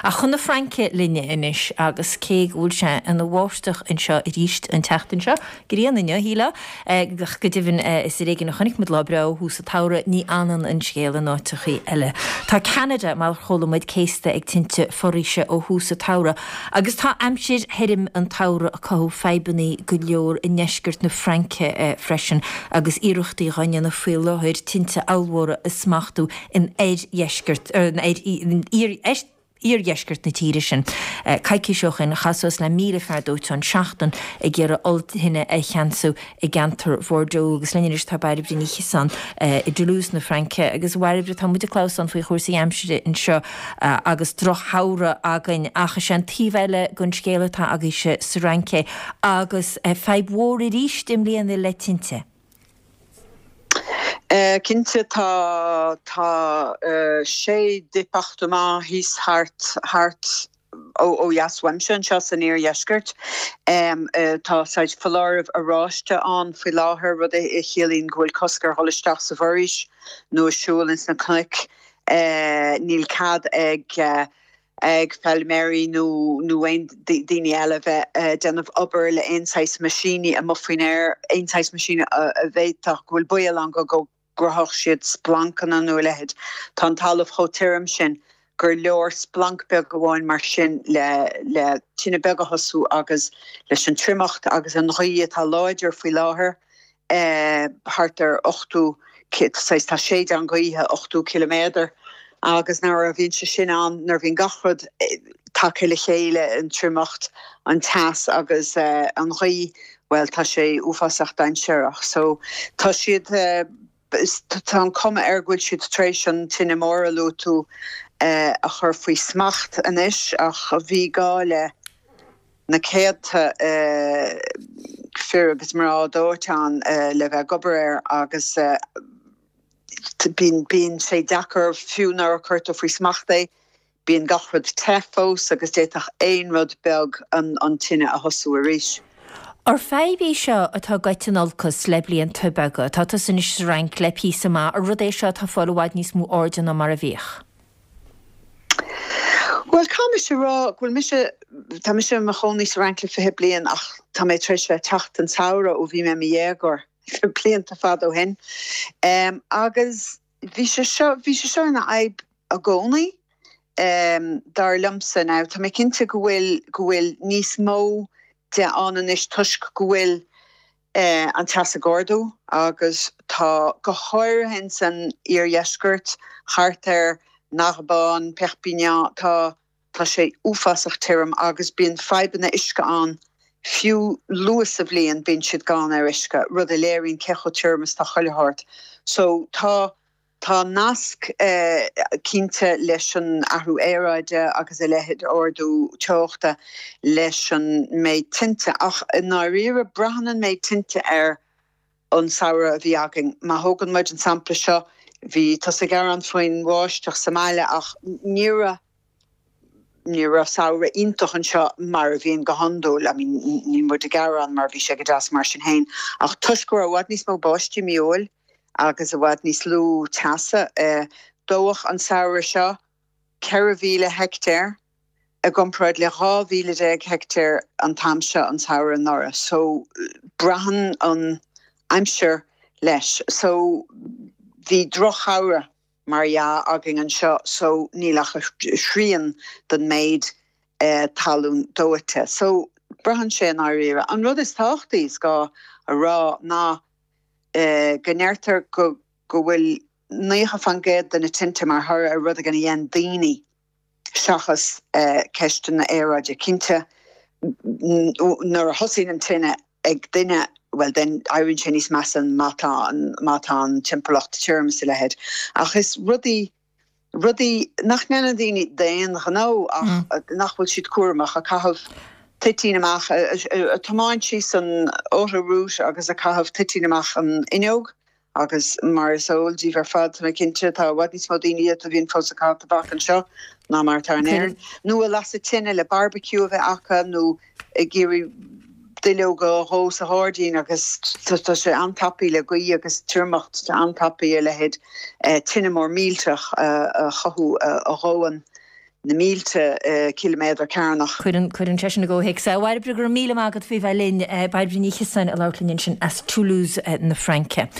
Ach chun na Fraince linne anois agus cé go bhfuil sé ina bháisteach anseo arís an tseachtain seo, grian inniu, shílfeá, ach go deimhin is ar éigean a chonaic muid lá breá ó thús an tsamhraidh, ní fhanann an scéal in áiteachaí eile. Tá Ceanada, mar a chuala muid, céasta ag tinte foraoise ó thús an tsamhraidh agus tá aimsir thirim an tsamhraidh ag cothú fadhbannaí go leor i ndeisceart na Fraince freisin agus iarrachtaí dhá ndéanamh faoi láthair tinte ollmhóra a smachtú in oirdheisceart, in iardheisceart na tíre sin. Coicís ó shin, chaith suas le 1,000 fear dóiteáin seachtain ag iarraidh ollthine a cheansú i gceantar Bhordeaux. Agus linn anois tá Bairbre Ní Chiosáin i dToulouse na Fraince. Agus a Bhairbre, tá muid ag clamhsán faoi chúrsaí aimsire anseo agus drochshamhradh againn ach is é an taobh eile den scéal atá agaibhse sa Fhrainc é agus fadhb mhór arís i mbliana le tinte. Cinnte tá tá sé département thíos thart thart ó dheas uaimse anseo san iardheisceart. Tá saghas foláireamh oráiste ann faoi láthair, rud a chiallaíonn go bhfuil cosc ar dhul isteach sa bhforaois nó ag siúl ins na cnoic. Níl cead ag ag feilméaraí nó nó aon daoine eile a bheith ag déanamh obair le aon saghas meaisíní amuigh faoin aer, aon saghas meaisíní a bhféadfadh go bhfuil baol ann go go gcruthódh siad splancanna nó a leithéid. Tá an talamh chomh tirim sin gur leor splanc beag amháin mar sin le le tine beag a thosú agus leis an triomacht agus an ghaoth atá láidir faoi láthair, thart ar 80, saghas, tá séideán gaoithe 80 ciliméadar agus nuair a bhíonn sé sin ann, nuair a bhíonn gach rud tagtha le chéile, an triomacht, an teas agus an ghaoth, bhuel tá sé uafásach dainséarach. So tá siad, tá an cuma air go bhfuil siad tar éis an tine mór a luaigh tú a chur faoi smacht anois ach bhí gá le na céadta fir agus mná dóiteáin le bheith ag obair air agus bíonn, bíonn sé deacair fiú nuair a cuirtear faoi smacht é, bíonn gach rud te fós agus d'fhéadfadh aon rud beag an tine a thosú arís. Ar fadhb í seo atá ag goil in olcas le blianta beaga? Tá tusa anois sa Fhrainc le píosa maith, ar rud é seo atá ag fáil i bhfad níos mó airde ná mar a bhíodh? Bhuel, caithfidh mise a rá go bhfuil mise, tá mise i mo chónaí sa Fhrainc le 20 bliain ach tá mé tar éis bheith ag teacht an samhradh ó bhí mé i mo dhéagóir, blianta fada ó shin. Agus bhí sé seo, bhí sé seo ina fhadhb i gcónaí, dar liomsa. Now, tá mé cinnte go bhfuil, go bhfuil níos mó de ann anois toisc go bhfuil, an teas ag ardú agus tá, go háirithe ins an iardheisceart, thart ar Narbonne, Perpignan, tá, tá sé uafásach tirim agus bíonn fadhbanna uisce ann fiú luath sa bhliain, bíonn siad gann ar uisce, rud a léiríonn cé chomh tirim is atá chuile shórt. So tá. Tá nasc cinnte leis an athrú aeráide agus a leithéid, ardú teochta, leis an méid tinte ach i ndáiríre braitheann an méid tinte ar an samhradh a bhí againn. Má thógann muid an sampla seo, bhí tusa ag gearán faoin bháisteach sa mbaile ach ní raibh, Ní raibh samhradh iontach anseo mar a bhíonn go hiondúil, I mean níl muid ag gearán mar bhí sé go deas mar sin féin, ach toisc go raibh i bhfad níos mó báistí mí Iúil agus i bhfad níos lú teasa, dódh an samhradh seo 14,000 heictéar i gcomparáid le 12,000 heictéar an t-am seo an samhradh anuraidh. So braitheann an aimsir leis. So bhí drochshamhradh. mar dhea, againn anseo so níl ach thrian den méid talún dóite. So, braitheann sé i ndáiríre. An rud is tábhachtaí is gá a rá ná go ndeirtear go go bhfuil 90% de na tinte mar thoradh ar rud éigin a dhein daoine seachas ceisteanna aeráide. Cinnte, nuair a thosaíonn an tine ag duine, bhuel then éiríonn sé níos measa má tá an, má tá an timpeallacht tirim is a leithéid. Ach is rudaí, rudaí nach ndéanann daoine d'aon ghnó ach nach bhfuil siad cúramach, ag caitheamh toitín amach, ag tiomáint síos an autoroute agus ag caitheamh toitín amach an fhuinneog. Agus mar is eol daoibh ar fad, tá mé cinnte, tá i bhfad níos mó daoine a bhíonn fós ag caitheamh tobac anseo ná mar atá in Éirinn. Nó ag lasadh tine le barbecue a bheith acu nó ag iarraidh duilleoga a dhó sa ghairdín agus tá sé an-tapaidh le gaoth agus triomacht, tá an-tapaidh a leithéid tine mór millteach a chothú a dhóann. Na mílte ciliméadar cearnach. Cuireann, cuireann sé sin i gcomhthéacs é. A Bhairbre, go raibh míle maith agat faoi bheith linn. Bairbre Ní Chiosáin ag labhairt linn ansin as Toulouse na Fraince.